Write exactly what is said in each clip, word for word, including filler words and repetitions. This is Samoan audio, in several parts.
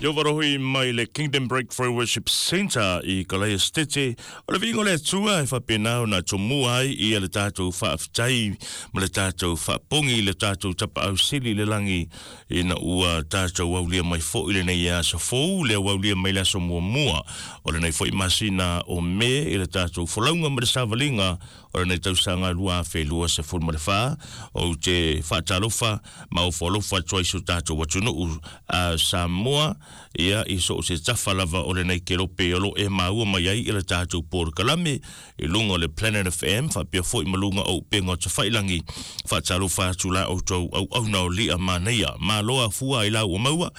Iovarohi mai le Kingdom Breakthrough Worship Center i Kalaia Stete. O le vingo le atua e whapenau na tomua ai i le tātou whaaftai ma le tātou whaapongi le tātou tapa au sili le langi ina ua tātou aulia mai fo i le nei asa fou le aulia mai le aso mua mua. O le nei fo i masina o me i le tātou folaunga ma le savalinga o le nei tausanga lua afe lua se fulu ma le wha o te whaatalofa ma o whalofa tua iso tātou watunuu a Samoa ia i so se tafa lava o le nei kerope o lo e maua mai ai i le tātou porokalame i lunga o le Planet F M whapea foi malunga o upenga o te whailangi whaatalofa atu la o tau au au nao lia manaia maloa fua i lau o maua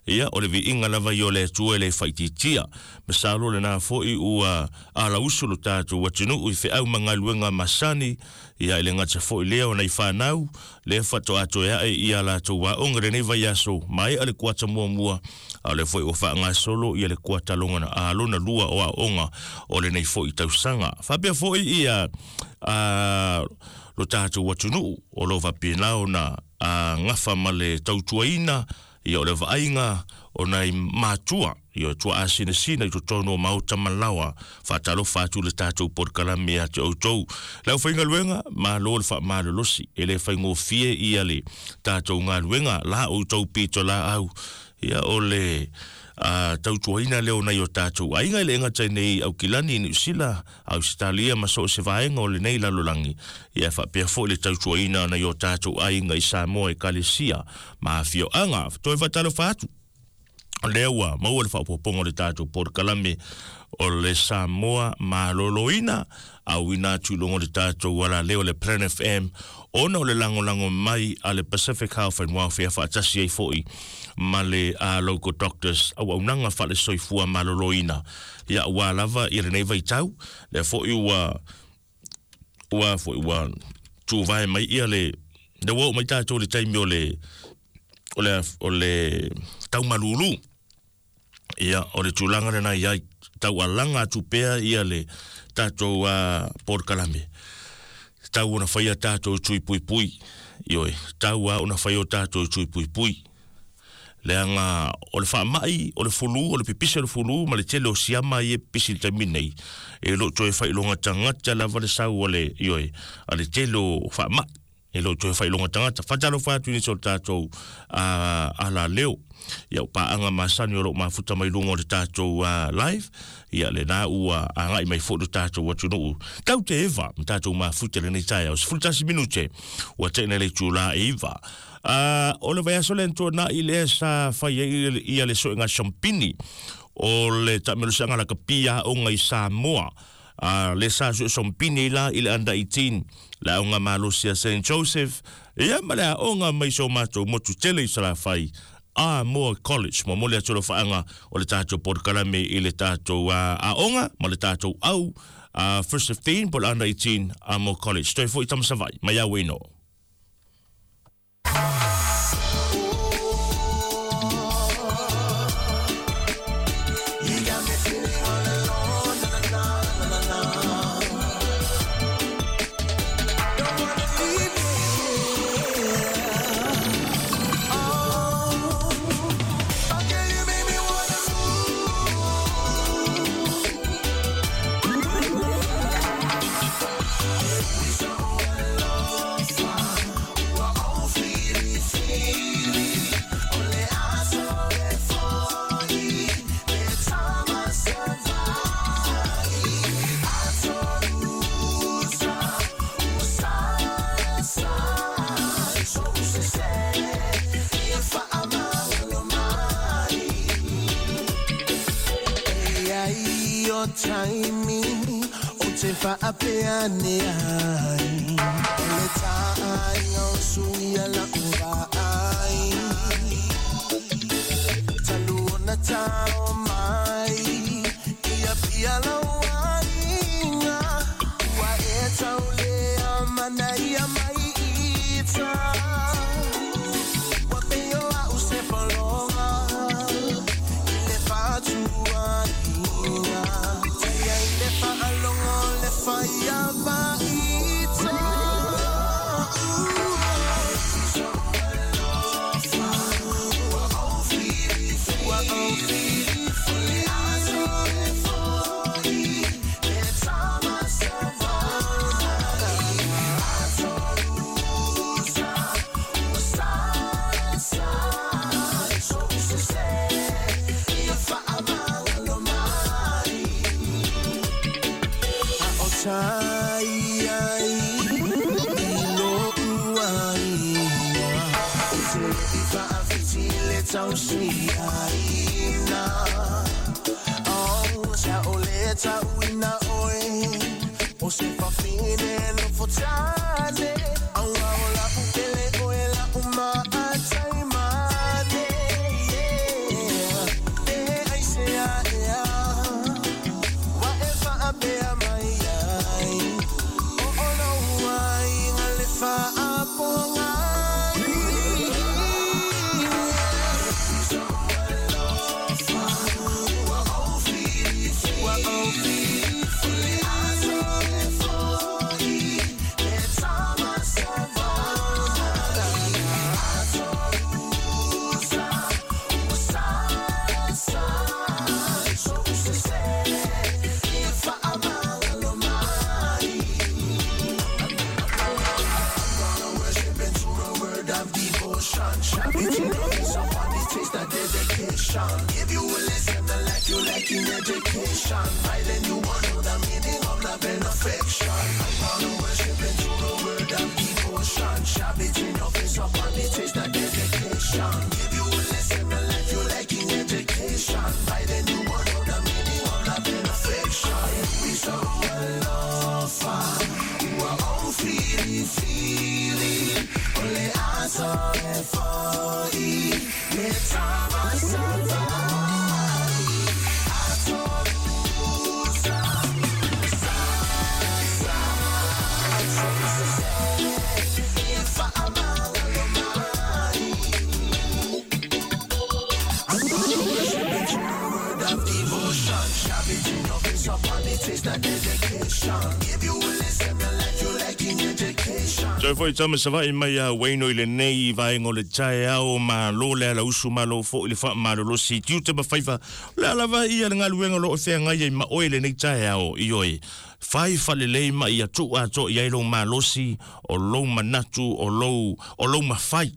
ia o le viinga lava i o le atua le whaititia masalo le nā foi ua ala usu lo tātou watunuu i wheau mangaluenga masani ia i le ngata foi lea o nei whanau le whato ato e ae ia la tau waonga le nei vai aso mai a le kuata mua mua a le foi o whaanga solo ia le kuata longa na a lona lua o aonga o le nei foi tausanga whapea foi ia a lo tātou watunuu o lo whapenao na a ngafa ma le tautuaina ia o le vaaiga o nai matua ia tua asinasina i totonu o maota malawa whaatalofa atu le tātou porokalame a te outou lau whaingaluenga malo le whaamalolosi e le whaingofie ia le tātou ngaluenga la outou pito la au ia o le a tautuaina leo nei o tātou aiga i le enga nei au kilani Niu Sila Australia ma so se vaenga o le nei lalolangi ia whapea fo le tautuaina nei o tātou aiga i Samoa e Kalesia ma afioaga toe whaatalofa atu lea ua maua le faapopoga o le tatou porokalame o le Samoa maloloina auina atu i luga o le tatou alaleo o le Planet F M ona o le lagolago mai a le Pacific Health and Welfare faatasi ai foʻi ma le uh, local doctors auaunaga faalesoifua maloloina ia ua lava ia lenei vaitau lea foʻi ua ua foʻi ua tuvae mai ia le le ua oo mai tatou le taimi o le o le o le taumalulu ia o le tulaga lena ia taualaga atu pea ia le tatou uh, porokalame tau ona faia tatou tui puipui ioe tau a ona faia o tatou tui puipui leaga o le faamai o le fulu o le pipisi o le fulu ma le tele o siama ia pipisi le taimi nei e loo toe faailoga tagata lava le sau o le ioe a le tele o faamai e loo toe faailoga tagata faatalofa atu i nisi o le tatou alaleo ia o paaga masani o loo mafuta mai luga o le tatou live ia lena ua agai mai foʻi lo tatou atunuu tau te eva ma tatou mafuta lenei taeao sefulutasi minute ua teʻina le itulā e iva o le vaiaso le antuanaʻi lea sa fai ai ia le soʻega sompini o le taamelosiaga lakapi aoga i Samoa Uh, le sa su sompini la i le under eighteen la aoga malosi a Saint Joseph ia ma le aoga mai so matou motu tele i Salafai Amoa College mo mole atu lo faanga o le tatou porokalame i le tatou uh, aoga ma le tatou au uh, first fifteen po le under eighteen Amoa College toe foʻi tamasavai mai au ino. Timing o te whaapea ne ai le taai o suia la ura ai talu ona tao mai ia pia lau aiga ua e taulea mana ia mai ita ua peo au se polonga i le whatua ia le whaalongo le whaia vaita. Ooh. tai ai I lo uaina O te i whaawhiti le tausi aina Oh, sa o le tauina oe O se whawhine no fotane Aua o la upele oe la uma atai mane Yeah, e ai se a ea Wa e whaapea mai ai O o lo ai ngā le whaaponga If you will listen to life, you like in education. Right then you won't know the meaning of love and affection. I'm gonna worship into the word of devotion. Shove it in your face up on the taste of dedication. If you will listen to life, you like in education. Right then you won't know the meaning of love and affection. We so alofa, ua o fili fili, ole aso e foi, le tama savai, atorusa, sa, sa, sa, sa, e whaamanga lo mai. Word of devotion, shove it in your face up on the taste of dedication. If you will listen to life, you like in education. Toe foi tama savai mai a Wayno i lenei vaenga o le taeao malo le ala usu malo fo i le whaamalolosi. Tiute ma whaifa, le ala vai ia le ngaluenga lo o whea ngai ma oe lenei taeao i oe. Whai whalelei ma ia tua ato i ai lo malosi o lo manatu o lo, o lo mawhai.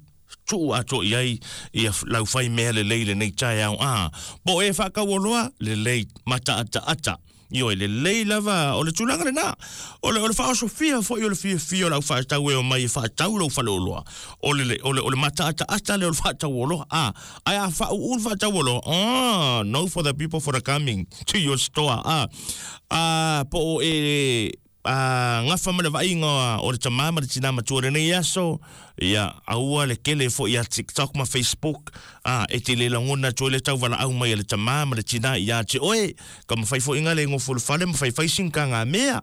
Tuu ato i ai ia lau whai mea le lei lenei taeao a. Po e whakawaloa le lei mata ata ata. Io le lei lava o le tulaga lena o le o le faaosofia foi o le fiafia o lau faatau e o mai e faatau lou faleoloa o le o le o le mataataata le o le faatauoloa a ae a faauu le faatauoloa ah no for the people for the coming to your store a a po o e a ngafa ma le vaaiga o le tamā ma le tinā matua lenei aso ia aua le kele foi ia TikTok ma Facebook a e te le lagona atu ai le tauvalaau mai a le tamā ma le tinā ia te oe ka mafai foʻiga le gofolofale ma faifai sigagamea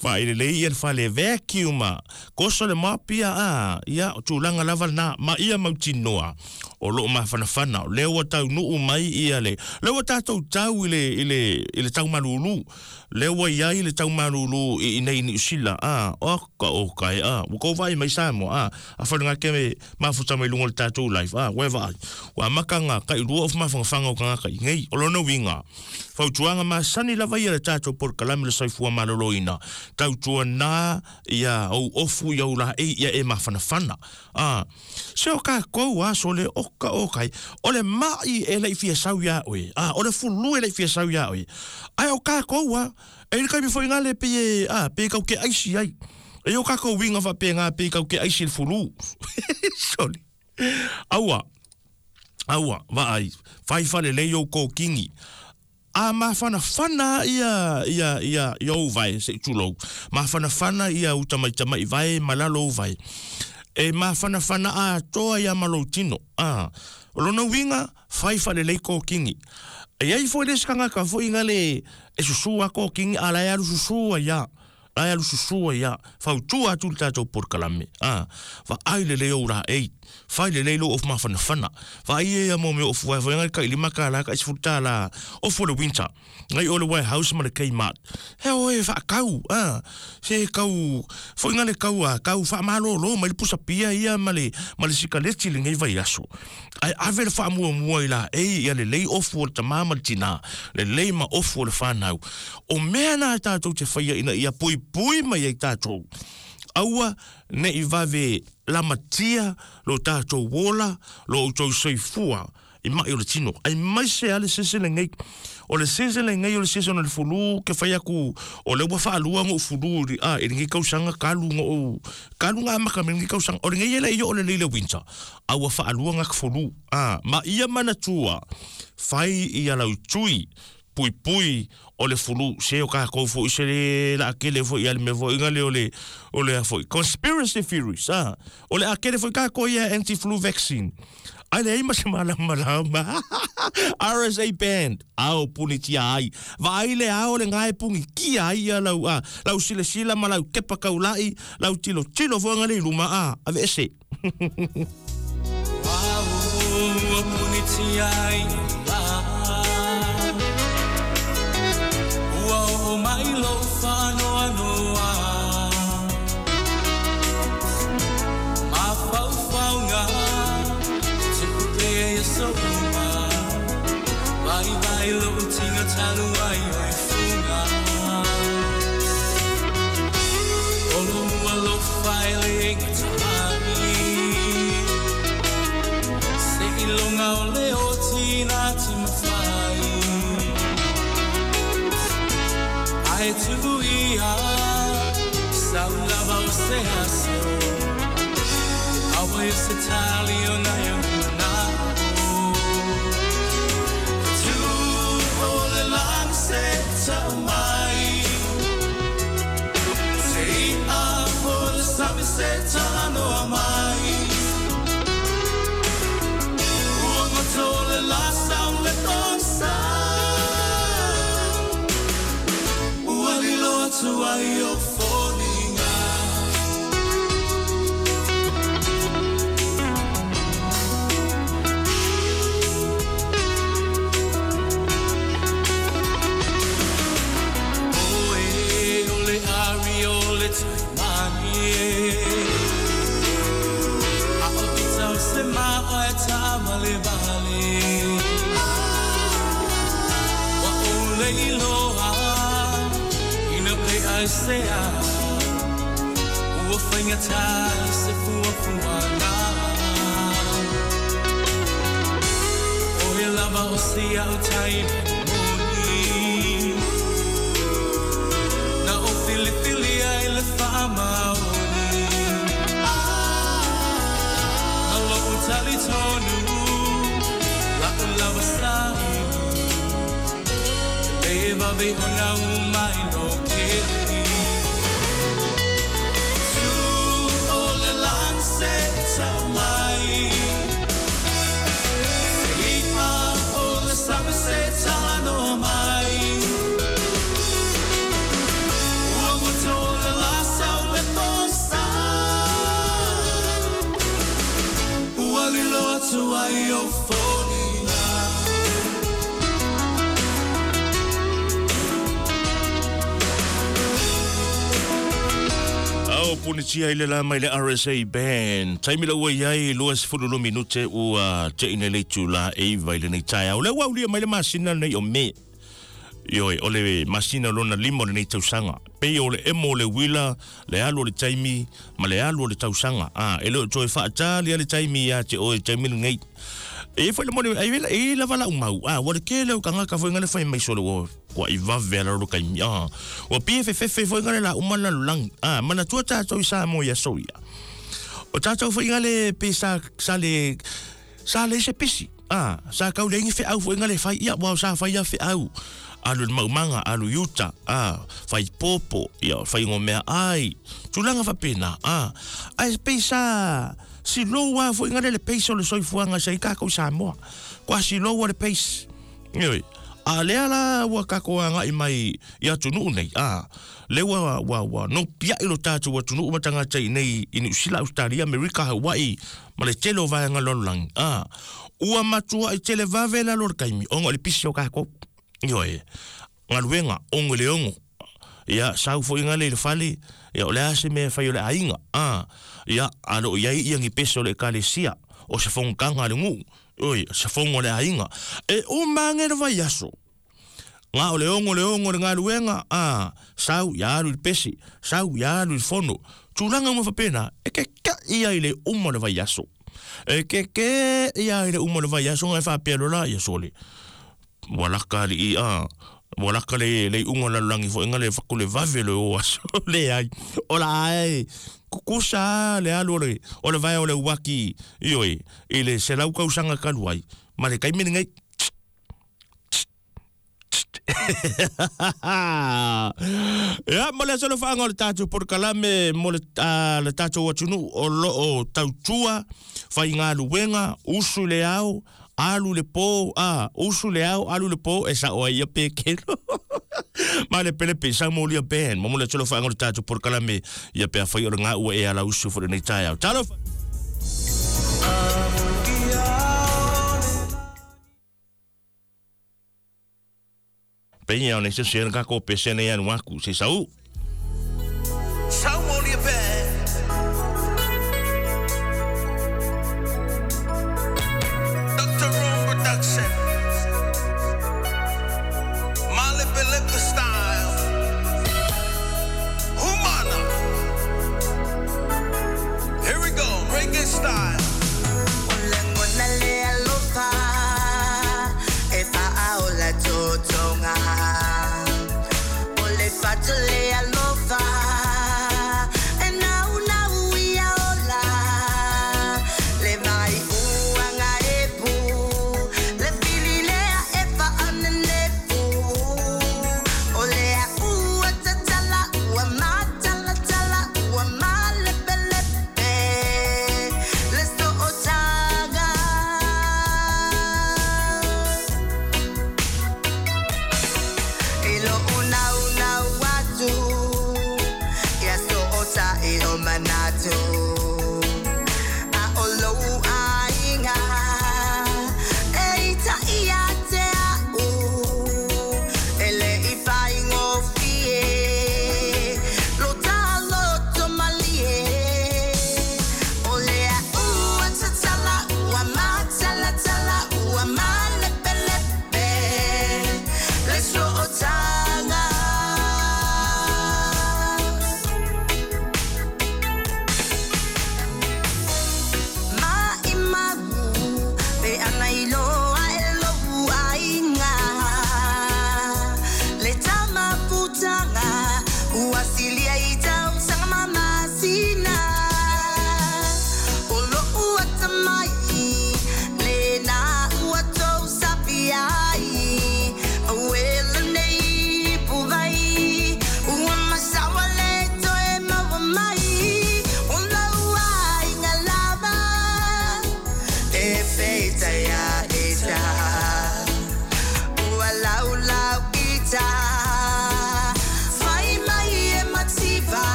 faailelei ia le fale vacuum koso le mapia a ia o tulaga lava lenā ma ia mautinoa o loo mafanafana o lea ua taunuu mai ia le lea ua tatou tau i le i le i le taumalūlū lea ua iai le taumalūlū i inei Niu Sila a o ka o kai a ua kou vaai mai Samoa a a wharenga ke me mafuta mai lunga o le tātou life a ua e vaai ua makanga kailua o mafagafaga o kagaka i nei o lona uiga fautuaga masani lava ia le tātou polokalame le soifua malōlōina tautuanā ia ou ofu ia ou laei ia e mafanafana a se o kākou a so le oka o kai o le mai e lei fia sau ia oe a o le fulu e lei fia sau ia oe ai o kākou a e le kaimi foi ngale pe e a pe kau ke aisi ai e o kākou winga fa pe ngā pe kau ke aisi le fulu sorry aua aua vaai fai fale lei o kōkingi a mafanafana ia ia ia ia ou vai se tulou mafanafana ia uta mai tamai vai malalo vai e mafanafana a toa ia maloutino a o lona uiga fai falelei kōkingi e ai foi le sikagaka foi le e susua kōkingi a lae alu susua ia lae alu susua ia fautua atu le tatou polokalame a vaai lelei ou laei fai lelei lou ofu mafanafana vaai ia mo mea ofu ai foi le kailima kālā ka isifulu tālā ofu o le winter ngai o le warehouse ma le Kmart he oe faakau a se kau foi le kau a kau faamalōlō mai le pusapia ia ma le ma le sikaleti lenei vaiaso ae ave le faamuamua i laei ia lelei ofu o le tamā ma le tinā lelei ma ofu o le fanau o mea na tatou te faia ina ia puipui mai ai tatou aua nei vave lamatia lo tatou ola lo outou soifua I mai o le tino. Ai mai se ale sese le ngai. O le sese le ngai o le sese o le fulu ke whai aku o le ua whaalua ngo fulu a e ngi kausanga kalu ngo kalu ngā maka me ngi kausanga o le ngai ele iyo o le leile winter. A ua whaalua ngā fulu. A ma ia mana tua whai ia lau tui pui pui o le fulu se o ka kofu se le la kele fo ia le me fo ingale o le o le fo conspiracy theories ah o le akele fo ka ko ia anti flu vaccine ai le ima se mala mala R S A band ao punitia ai vai le ao le ngai pungi ki ai ia lau a lau sile sila ma lau kepa kaulai lau tilo tilo fo ngale luma a ave ese wow punitia ai mai lo whanoa noa Ma whau whau ngā Tuku pea ia so uma Vai vai lo tinga talu ai oi funga Olo mua lo whaele inga tahi Se ilonga o leo tina timawhai Ai tuia sau lava o se aso Awa i se tali o nai o na Tu o le lang se tau mai Te ia o le sami se talanoa mai Ua ngoto le la sau le tong sa Tua i o fōninga Oe o le ari o le taimani e A o i tau se maa e tāmale vale Wa o le iloa I say I ua whainga tai se fua fua ngā O he lava o si au tai moni Na o filifili ai le whaamaoni Alo o tali tonu La o lava sai Le vawe o ngā umai no keli Se tau mai Se ia o le sami se talanoa mai Ua ngoto le la sau le tongsa Ua lilo atu ai o fōninga Au punitia ile la mai le R S A band. Taimi la ua iai lua sefulu lo minute ua te ine le tula e vai le nei tae. Au le ua ulia mai le masina nei o me. Ioi, o le masina lona lima o le nei tausanga. Pei o le emo o le wila, le alu o le taimi, ma le alu o le tausanga. Ah, e leo toe whaatali a le taimi ia te oe taimi le nei. E fai le mone, e e lava la umau. Ah, wa le kele o kangaka fo ingale fai mai solo o kwa i vave ala ro kai. Ah, wa P F F F fo ingale la umana lang. Ah, mana tua tātou i sa mo ia soia. O tātou fo ingale pe sa sa le sa le se pisi. Ah, sa kau le ingi fe au fo ingale fai ia wa sa fai ia fe au. Alu le maumanga, alu yuta, ah, fai popo, ia, fai ngomea ai. Tulanga whapena, ah. Ai pe sa si loa fo ingale le peisa o le soifuanga sa i kākou Samoa. Kwa si loa le peisa. Ioi, a lea la ua kako anga i mai i atunuu nei. A, le ua, ua, ua, no pia ilo tātou atunuu matangata i nei i Niu Sila, Australia, Amerika, Hawaii, ma le tele o vaenga lololangi. A, ua matua i tele vave la lor kaimi, ongo le pisi o kākou. Ioi, ngaluenga, ongo le ongo. Ia, sau fo ingale le fale, ia, o le ase mea whai o le ainga. Ah, ia, alo iai ia ngi peso le ekalesia, o se fongkanga le ngu, oi, se fongo le ainga. E o mange le vai aso. Ngā o le ongo le ongo le ngaluenga, ah, sau ia alu le pesi, sau ia alu le fono. Tūlanga uma whapena, e ke ka ia i le uma le vai aso. E ke ke ia i le uma le vai aso ngai whapea lola ia sole. Walaka li i a. Walaka le le unga la langi fo inga le fakule vave le o aso le ai. Ola ai. Kukusa le alu le o le vai o le waki ioi i le selau kausanga kaluai. Ma le kaimene ngai. Ia mo le solo whaanga o le tātou porokalame mo le, uh, le tātou atunu o lo o tautua whai ngā luenga, usu le au, alu le pō, a, usu le au, alu le pō, e sa oa ia pekelo. Ma le pele pe, sa mo lia ben, mo le solo whaanga o le tātou porokalame ia pea whai o le ngā ua e ala usu fo le nei tai au. Talo! Peña o nese se ka ko pese ne anu aku se sau. Saumolia Band. Doctor Room Production. Malepe style. Humana. Here we go, reggae style.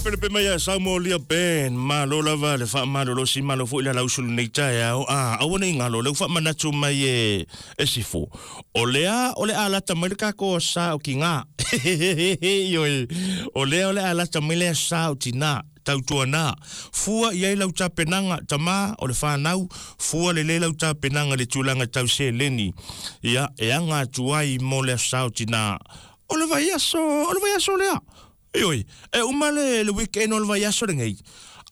Pele mai Saumolia Band malo lava le fa malo lo si malo fo ila lausulu nei tae au a aua nei ngalo le fa manatu mai e e sifo o lea o le alata mai le kako sa o ki ngā. Ioe, o lea o le alata mai lea sa o tina, tautuana. Fua i ai lau tapenaga, tamā o le whanau, fua le le lau tapenaga le tulaga tau seleni. Ia, e aga atu ai mo le sa o tina. O le vaiaso, o le vaiaso lea. Ioe, e uma le, le weekend o le vaiaso lenei.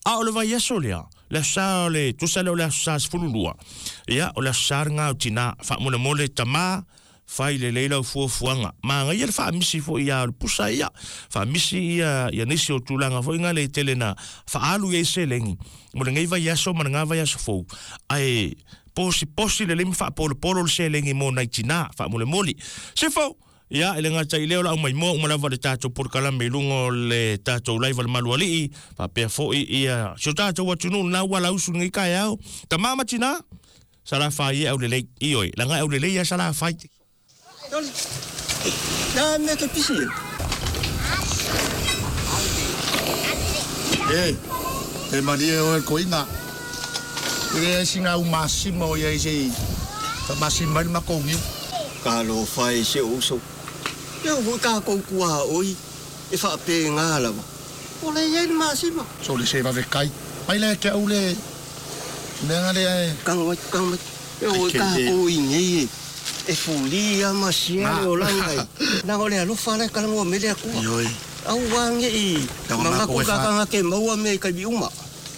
A o le vaiaso lea, le sa o le, tusa le o le sa sefululua. Ia, o le sa ngā o tina, faamolemole tamā, fai le leila o fuafuaga. Magaia le faamisi foʻi ia o le pusa ia. Faamisi ia, ia nisi o tulaga foʻi ga le tele na faaalu i ai selegi. Mo lenei vaiaso ma lagā vaiaso fou. Ae posi posi le lei ma faapolopolo le selegi mo nai tinā, faamolemole. Se fou, ia, e le gata i lea o le aumaimoa uma lava le tatou polokalame i luga o le tatou laiva le malualii, faapea foʻi ia si o tatou atunuu lena ua lausu lenei taeao. Tamā ma tinā, salafai e aulelei. Ioe, laga e aulelei ia salafai. Na me ke pisi. E, e marie o e koinga. E singa u masima o ia i sei. Fa masima ma kongiu. Ka lo fai se uso. Ia wo ka ko kua oi. E fa pe ngala. O le ia ni masima. So le se va ve kai. Mai le ke au le. Me ngale e. Kang wa kang wa. E o ka ko i nei. E fuli a masia o langa. Na o le alofa le kala mo mele ku. Ioi. Au wange i. Manga ku ka ka ke maua me ka bi uma.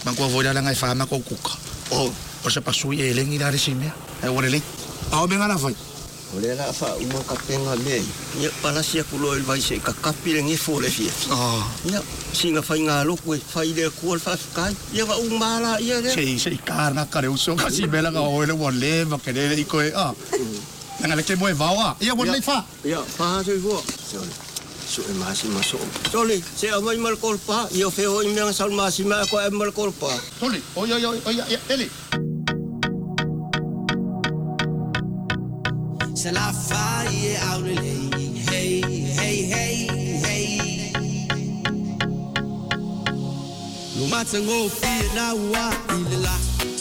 Manga vo la langa e fa ma ko kuka. O, o se pasui e lengi la resimea. E o le le. Au me ngala fai. O le la fa uma ka penga me. Ia palasia ku lo el vai se ka kapi le ngefo le fia. Ah. Ia singa fai ngā loku e fai le ku al fa kai. Ia va uma la ia le. Se se ka na ka le uso ka si mela ka o le wa le va ke le i ko e ah. Nanga le ke moe vaoa. Ia wan lei fa. Ia, fa se fua. Sole. So e masi maso. Sole, se amai mal kolpa, ia fe ho i mea sal masi ma ko e mal kolpa. Sole, oi oi oi oi eli. Se la fa e aulele. Hey hey hey hey. Lo matango fi na wa ilela.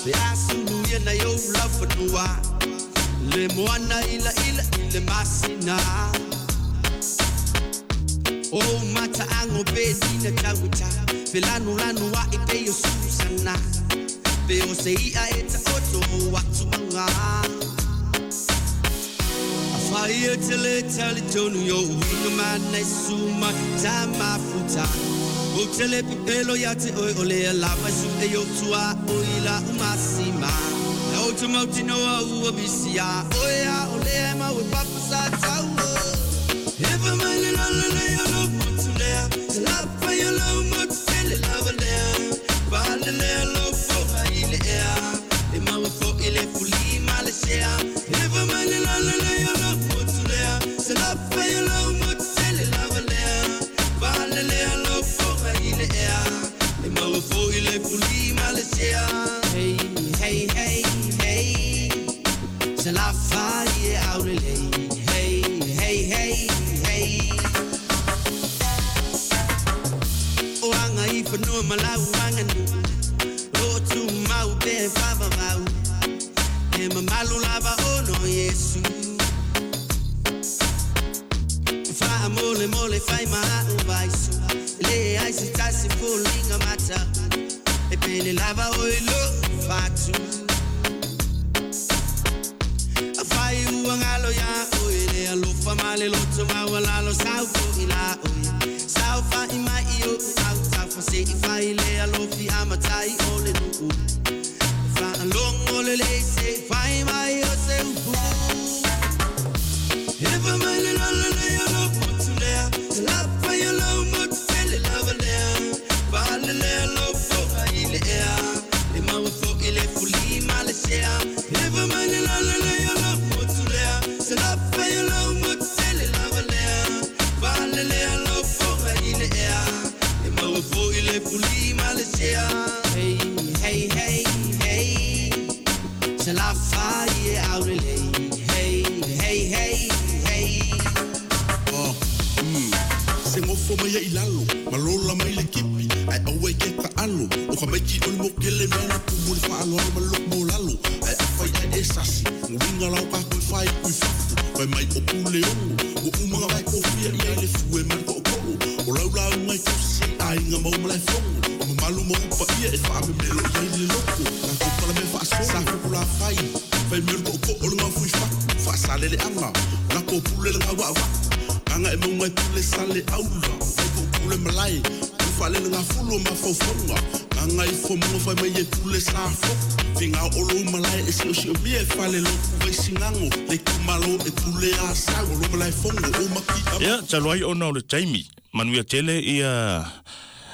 Be asulu ye na yo la fanua. Le moana ila ila ile masina. O mata ango be dina tawita. Felanu lanu wa ipe yo susana. Pe o se ia eta oto watu manga. Afai tele tele tonu yo winga mana suma tama futa. O tele pipelo ya te oi ole lava su e yo tua oila umasima. O te mauti noa ua bisia. Oea o lea mau e papa sa tau. Ewa mai le lala le o lo motu lea. Te lapa i o lo motu tele lava lea. Pale lea lo foa i le ea. E mau e fo i le fuli ma le sea. Ewa mai le lala le o lo motu lea. Te lapa i o lo motu tele lava lea. Pale lea lo foa i le ea. E mau e fo i le fuli ma le sea. Hey, hey, hey. Se la fa e aulele. Hey, hey, hey, hey. O anga i whanua malau anganu. O tu mau pe whawawau. E mamalu lava ono Yesu. Wha mole mole whai maha o vaisu. Le ai se tasi fulinga mata. E pele lava o i lo whatu. Ngalo ya oi le alofa male loto mawalalo sau fo ila oi sau fa i mai o au ta fa se i fa ile alofi amatai o le nu fa along o le le se fa i mai o se upu eva mai le la le le lo motu lea la fa yo lo motu le la va lea fa le le lo fo ile ea e mau fo ile fuli ma le sea eva mai le la le le lo se la fa yo lo motu le la va lea fa le le lo fo ile ea e mau fo ile fuli ma le sea. Hey hey hey hey. Se la fa e aulele. Hey hey hey hey. Oh mm se ngofo mai i lalo malola mai le kipi ai awe ke ka alo o ka maiki o le mokele mena ku mo le fa alo ma lo mo lalo ai afai ai esasi nguinga uiga lau kako e fai kui fafu Vai mai o pule ongo O umanga vai kofia i ai le fue ma le ko'oko'o O laulauga i tausi aiga ma uma lae fogo O mamalu ma upa ia e faamemelo i ai le loko Tatou palamea faasolo sa fokolafai Fai mea o le ko'oko'o le gafui fatu Faasaleleaga Lako pule le gauaavaku Gaga e mauga e pule sale aula Vai pule malae Faalele gafulu o mafaufauga Gaga ifo moga fai mai e pule sa foku Finga o lo malae e siosiomia e fale lotu vai sigago Le itumalo e pule a sau O lo malae fogo o maki Ia, talu ai ona o le taimi manuia tele ia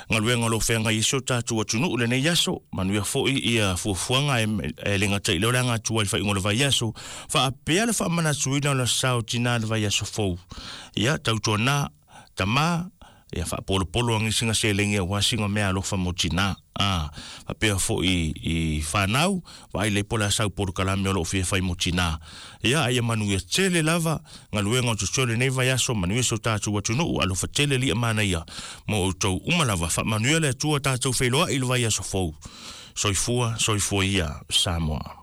galuega o lo o feagai ai si o tatou atunuu lenei aso manuia foʻi ia fuafuaga e le gataʻi lea o le aga atua i le faaiuga o le vaiaso faapea le faamanatuina o le sa o tinā le vaiaso fou ia tautuanā tamā ia faapolopolo agi siga seleni auā siga mea alofa mo tinā a faapea foʻi i fanau vaai lei po o le a sau polokalame o loo fia fai mo tinā ia aia manuia tele lava galuega o totoe lenei vaiaso manuia si o tatou atunuu alofa tele li'a manaia mo outou uma lava faamanuia le Atua tatou feiloa'i i le vaiaso fou soifua soifua ia Samoa.